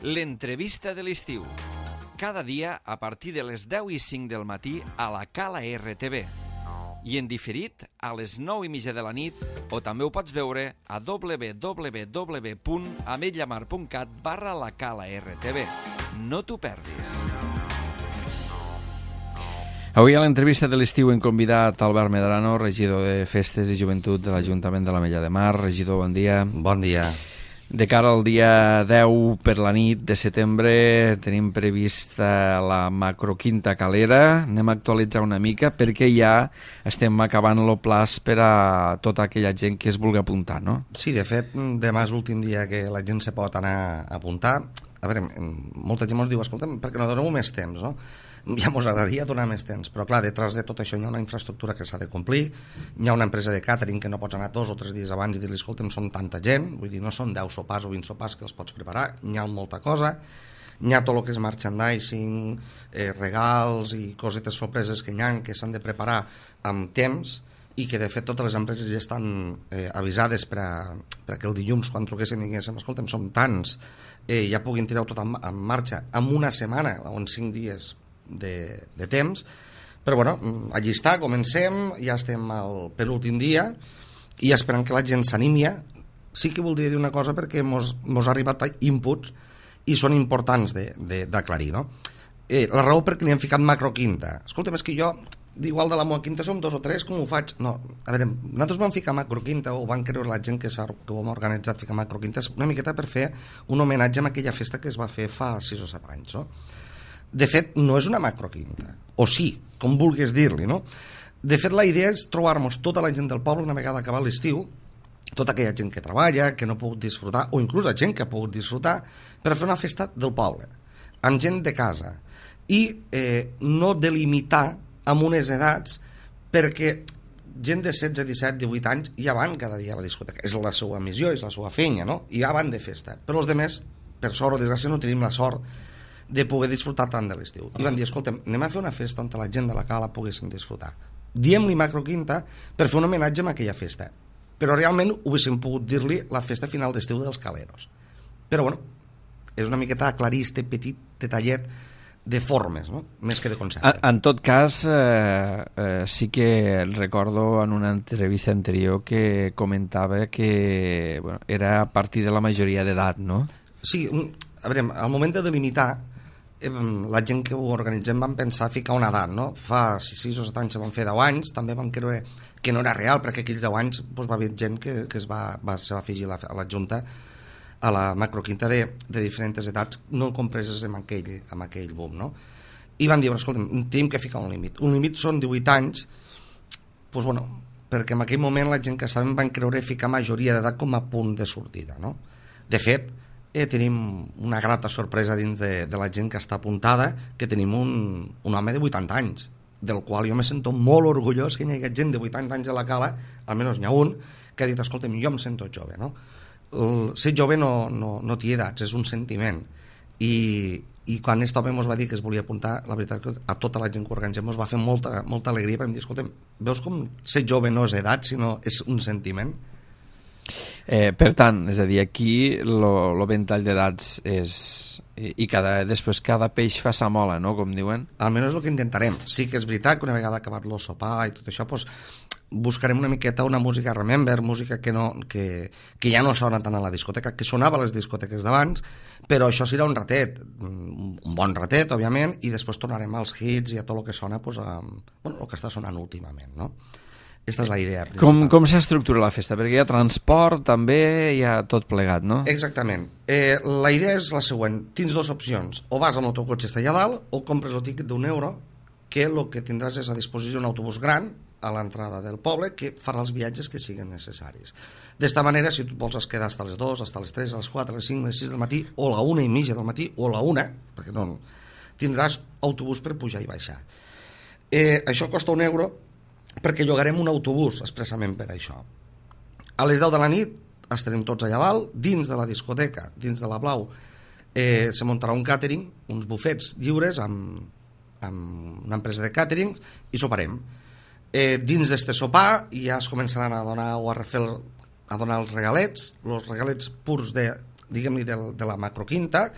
L'entrevista de l'estiu. Cada dia a partir de les 10:05 del matí a la Cala RTV. I en diferit a les 9:30 de la nit, o també ho pots veure a www.ametlllamar.cat/la Cala RTV. No t'ho perdis. Avui a l'entrevista de l'estiu hem convidat Albert Medrano, regidor de Festes i Joventut de l'Ajuntament de l'Ametlla de Mar. Regidor, bon dia. Bon dia. De cara al dia 10 per la nit de setembre tenim prevista la macroquinta calera. Anem a actualitzar una mica perquè ja estem acabant el plaç per a tota aquella gent que es vulgui apuntar, no? Sí, de fet, demà és l'últim dia que la gent se pot anar a apuntar. A veure, molta gent ens diu, escolta'm, perquè no doneu més temps, no? Ja ens agradaria donar més temps, però clar, detrás de tot això hi ha una infraestructura que s'ha de complir, hi ha una empresa de càtering que no pots anar 2 o 3 dies abans i dir-li, escolta'm, són tanta gent, vull dir, no són 10 sopars o 20 sopars que els pots preparar, hi ha molta cosa, hi ha tot el que és merchandising, regals i cosetes sorpreses que hi ha que s'han de preparar amb temps i que de fet totes les empreses ja estan avisades perquè el dilluns quan truquessin i diguéssim, escolta'm, som tants, ja puguin tirar tot en marxa en una setmana o en 5 dies de temps, però bueno, allí està, comencem, ja estem al penúltim dia i esperant que la gent s'animi. Sí que voldria dir una cosa perquè mos ha arribat inputs i són importants d'aclarir, no? La raó per què li hem ficat macroquinta, escolta'm, és que jo igual de la meva quinta som 2 o 3, com ho faig? No, a veure, nosaltres vam ficar macroquinta o van creure la gent que ho hem organitzat ficar macroquinta una miqueta per fer un homenatge a aquella festa que es va fer fa 6 o 7 anys, no? De fet, no és una macroquinta, o sí, com vulguis dir-li, no? De fet, la idea és trobar-nos tota la gent del poble una vegada acabat l'estiu, tota aquella gent que treballa, que no ha pogut disfrutar, o inclús la gent que ha pogut disfrutar, per fer una festa del poble, amb gent de casa, i no delimitar amb unes edats, perquè gent de 16, 17, 18 anys ja van cada dia a la discoteca, és la seva missió, és la seva feina, no? I ja van de festa, però els altres, per sort o desgràcia, no tenim la sort de poder disfrutar tant de l'estiu. I van dir, escolta'm, anem a fer una festa on la gent de la cala poguessin disfrutar. Diem-li macroquinta per fer un homenatge a aquella festa. Però realment ho haguéssim pogut dir-li la festa final d'estiu dels caleros. Però bueno, és una miqueta aclarir este petit detallet de formes, no? Més que de concepte. En tot cas, sí que recordo en una entrevista anterior que comentava que bueno, era a partir de la majoria d'edat, no? Sí, a veure, al moment de delimitar, la gent que ho organitzem vam pensar ficar una edat, no? Fa 6 o 7 anys se van fer 10 anys, també vam creure que no era real, perquè aquells 10 anys doncs, va haver gent que se va afegir a la Junta a la macroquinta de diferents edats no compreses amb aquell boom, no? I van dir, escolta'm, tenim que ficar un límit. Un límit són 18 anys, doncs, bueno, perquè en aquell moment la gent que estàvem van creure ficar majoria d'edat com a punt de sortida, no? De fet, tenim una grata sorpresa dins de la gent que està apuntada, que tenim un home de 80 anys, del qual jo me sento molt orgullós que hi hagi gent de 80 anys a la cala, almenys n'hi ha un, que ha dit, escolta'm, jo em sento jove, no? Ser jove no té edats, és un sentiment. I quan aquest home ens va dir que es volia apuntar, la veritat que a tota la gent que organitzem ens va fer molta alegria, perquè em dir, escolta'm, veus com ser jove no és edat, sinó és un sentiment? Per tant, és a dir, aquí el ventall d'edats és... i després cada peix fa sa mola, no?, com diuen. Almenys és el que intentarem. Sí que és veritat que una vegada acabat el sopar i tot això, doncs, buscarem una miqueta una música remember, música que ja no sona tant a la discoteca, que sonava a les discoteques d'abans, però això serà un ratet, un bon ratet, òbviament, i després tornarem als hits i a tot el que sona, doncs, el que està sonant últimament, no? Aquesta és la idea principal. Com s'estructura la festa? Perquè hi ha transport, també hi ha tot plegat, no? Exactament. La idea és la següent. Tens 2 opcions. O vas amb el teu cotxe allà dalt o compres el tíquet d'€1, que el que tindràs és a disposició un autobús gran a l'entrada del poble que farà els viatges que siguin necessaris. D'esta manera, si tu vols quedar fins a les 2, fins a les 3, a les 4, a les 5, a les 6 del matí, o a la 1:30 del matí, o a la 1, perquè no, tindràs autobús per pujar i baixar. Això costa €1, perquè llogarem un autobús expressament per això. A les 10 de la nit estarem tots allà dalt, dins de la discoteca, dins de la Blau, se muntarà un càtering, uns bufets lliures amb una empresa de càtering i soparem. Dins d'este sopar ja es començaran a donar o a donar els regalets purs de, diguem-li, de la macroquinta,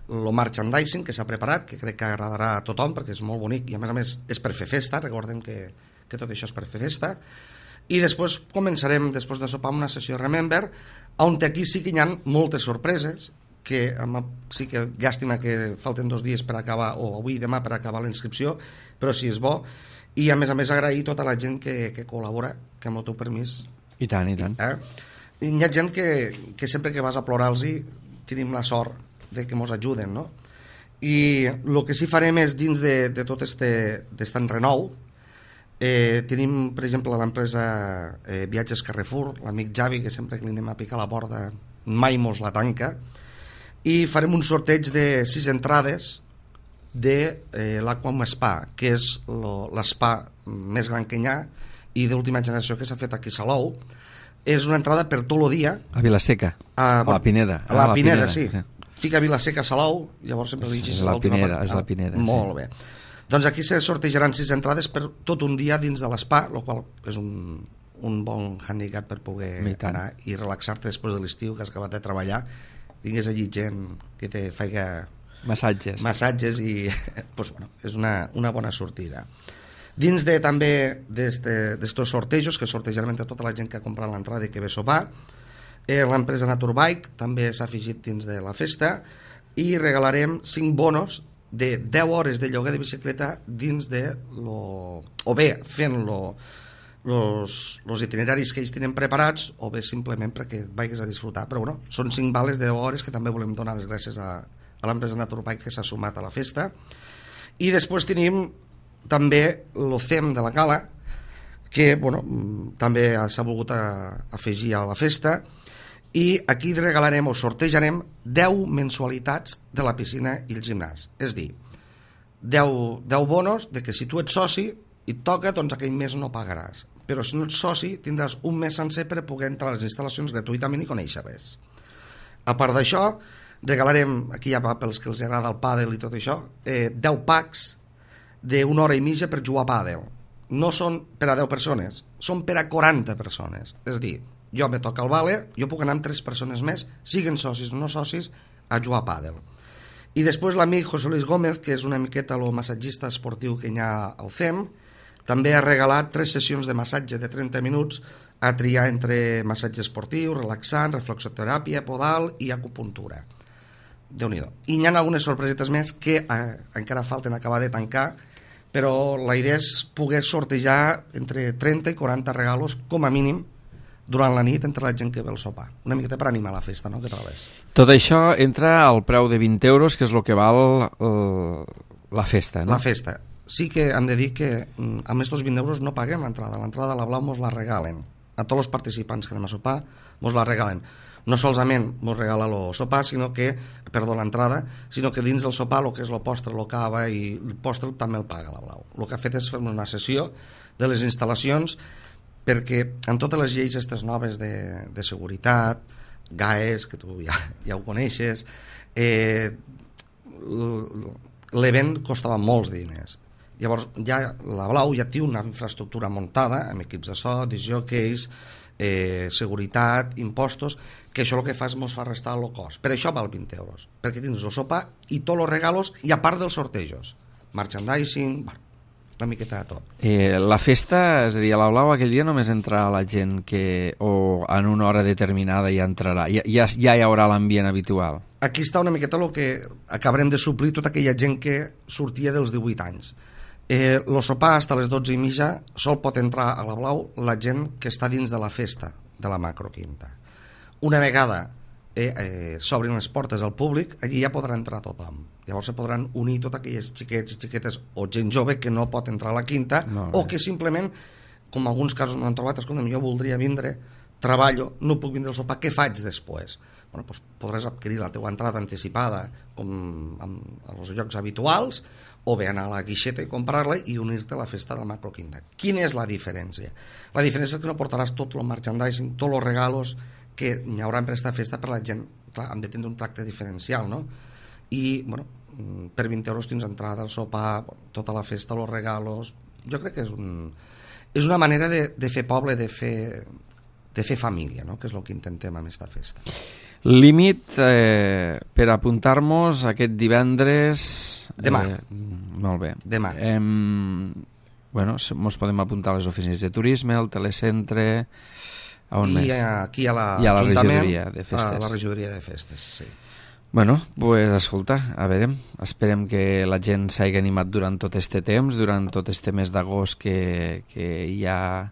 el merchandising que s'ha preparat, que crec que agradarà a tothom perquè és molt bonic i a més és per fer festa, recordem que tot això és per fer festa. I després començarem, després de sopar, una sessió Remember, on aquí sí que hi ha moltes sorpreses, que sí que llàstima que falten 2 dies per acabar, o avui i demà per acabar la inscripció, però sí és bo. I a més agrair tota la gent que col·labora, que amb el teu permís... I tant, i tant. Hi ha gent que sempre que vas a plorar-los tenim la sort de que ens ajuden, no? I el que sí farem és, dins de tot aquest renou, tenim, per exemple, l'empresa Viatges Carrefour, l'amic Javi, que sempre que li anem a picar la porta mai mos la tanca, i farem un sorteig de 6 entrades de l'Aquam Spa, que és l'espa més gran que hi ha i d'última generació que s'ha fet aquí a Salou. És una entrada per tot el dia. A Vilaseca, a la Pineda. A la Pineda, sí. Fica Vilaseca, Salou, llavors sempre li dius Salou. És la Pineda. Molt bé. Doncs aquí se sortejaran 6 entrades per tot un dia dins de l'espa, el qual és un bon handicap per poder anar i relaxar-te després de l'estiu, que has acabat de treballar, tingués allí gent que te faiga massatges i pues, bueno, és una bona sortida. Dins també d'estos sortejos, que sortejarem entre tota la gent que ha comprat l'entrada i que ve a sopar, l'empresa Naturbike també s'ha afegit dins de la festa i regalarem 5 bonos de 10 hores de lloguer de bicicleta dins de o bé fent los itineraris que ells tenen preparats o bé simplement perquè vagis a disfrutar. Però bueno, són 5 vales de 10 hores que també volem donar les gràcies a l'empresa Naturbike que s'ha sumat a la festa. I després tenim també el CEM de la Cala, que bueno, també s'ha volgut afegir a la festa, i aquí regalarem o sortejarem 10 mensualitats de la piscina i el gimnàs. És dir, 10 bonos de que si tu ets soci i et toca, doncs aquell mes no pagaràs. Però si no ets soci tindràs un mes sencer per poder entrar a les instal·lacions gratuïtament i conèixer res. A part d'això, regalarem, aquí ja va pels que els agrada el pàdel i tot això, 10 packs d'1 hora i mitja per jugar a pàdel. No són per a 10 persones, són per a 40 persones. És dir, jo me toca el vale, jo puc anar amb 3 persones més, siguen socis o no socis, a jugar a pàdel. I després l'amic José Luis Gómez, que és una miqueta el massatgista esportiu que hi ha al CEM, també ha regalat 3 sessions de massatge de 30 minuts a triar entre massatge esportiu, relaxant, reflexoteràpia, podal i acupuntura. Déu-n'hi-do. I hi ha algunes sorpresetes més que encara falten acabar de tancar, però la idea és poder sortejar entre 30 i 40 regalos com a mínim durant la nit entre la gent que ve al sopar. Una miqueta per animar la festa, no? Què trobes? Tot això entra al preu de 20 euros, que és el que val la festa, no? La festa. Sí que hem de dir que amb aquests 20 euros no paguem l'entrada. L'entrada a la Blau mos la regalen. A tots els participants que anem a sopar mos la regalen. No solament mos regala el sopar, l'entrada, sinó que dins del sopar el que és el postre, el cava i el postre també el paga la Blau. El que ha fet és fer una sessió de les instal·lacions perquè en totes les lleis aquestes noves de seguretat, GAES, que tu ja ho coneixes, l'event costava molts diners. Llavors la Blau ja té una infraestructura muntada amb equips de so, discjòqueis, seguretat, impostos, que això el que fa és mos fa restar el cost. Per això val 20 euros, perquè tens el sopar i tots els regalos i a part dels sortejos, merchandising, una miqueta de tot. La festa, és a dir, a la Blau aquell dia només entrarà la gent que o en una hora determinada ja entrarà, ja hi haurà l'ambient habitual. Aquí està una miqueta el que acabarem de suplir tota aquella gent que sortia dels 18 anys. El sopar fins a les 12:30 sol pot entrar a la Blau la gent que està dins de la festa de la macroquinta. Una vegada s'obrin les portes al públic, allí ja podrà entrar tothom. Llavors se podran unir tots aquells xiquets i xiquetes o gent jove que no pot entrar a la quinta o que simplement, com en alguns casos no han trobat, escolta'm, jo voldria vindre, treballo, no puc vindre al sopar, què faig després? Bueno, doncs podràs adquirir la teva entrada anticipada com als llocs habituals o bé anar a la guixeta i comprar-la i unir-te a la festa del macroquinta. Quina és la diferència? La diferència és que no portaràs tot el merchandising, tots els regalos que hi haurà per aquesta festa per la gent. Clar, han de tenir un tracte diferencial, no? I, bueno, per 20 euros tens entrada al sopar, tota la festa, els regalos. Jo crec que és una manera de fer poble, de fer família, no? Que és el que intentem amb aquesta festa. Límit per apuntar-nos aquest divendres... Demà. Molt bé. Demà. Bueno, ens podem apuntar a les oficines de turisme, al telecentre... A on més? I aquí a la regidoria de festes. A la regidoria de festes, sí. Bueno, pues escolta, a veure, esperem que la gent s'hagi animat durant tot este temps, durant tot este mes d'agost que hi ha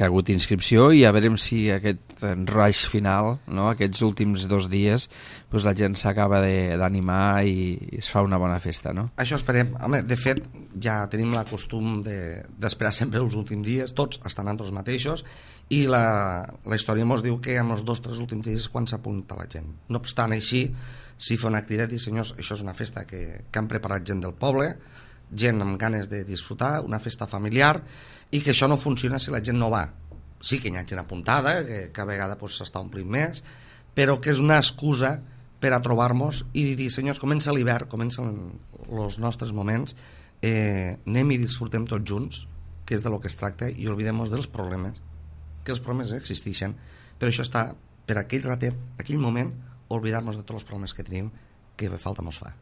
hagut inscripció, i a veure si aquest rush final, no? Aquests últims 2 dies, pues la gent s'acaba d'animar i es fa una bona festa, no? Això esperem. Home, de fet, ja tenim la costum d'esperar sempre els últims dies, tots estan nosaltres mateixos, i la història ens diu que en els 2 o 3 últims dies és quan s'apunta la gent. No obstant així, si fa una crida i dir, senyors, això és una festa que han preparat gent del poble, gent amb ganes de disfrutar, una festa familiar, i que això no funciona si la gent no va. Sí que hi ha gent apuntada, que cada vegada s'està omplint més, però que és una excusa per a trobar-nos i dir, senyors, comença l'hivern, comencen els nostres moments, anem i disfrutem tots junts, que és de lo que es tracta, i oblidem-nos dels problemes, que els problemes existeixen, però això està per aquell ratet, aquell moment, oblidar-nos de tots els problemes que tenim, que falta mos fa.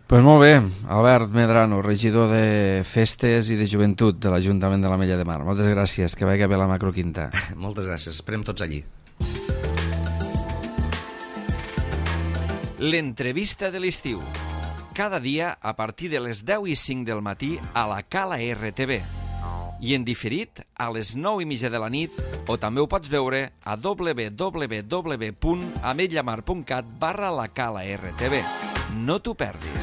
Pues molt bé, Albert Medrano, regidor de Festes i de Joventut de l'Ajuntament de l'Ametlla de Mar. Moltes gràcies, que vagi bé la macroquinta. Moltes gràcies, esperem tots allí. L'entrevista de l'estiu. Cada dia a partir de les 10:05 del matí a la Cala RTV. I en diferit a les 9:30 de la nit, o també ho pots veure a www.ametllamar.cat/la Cala RTV. No t'ho perdis.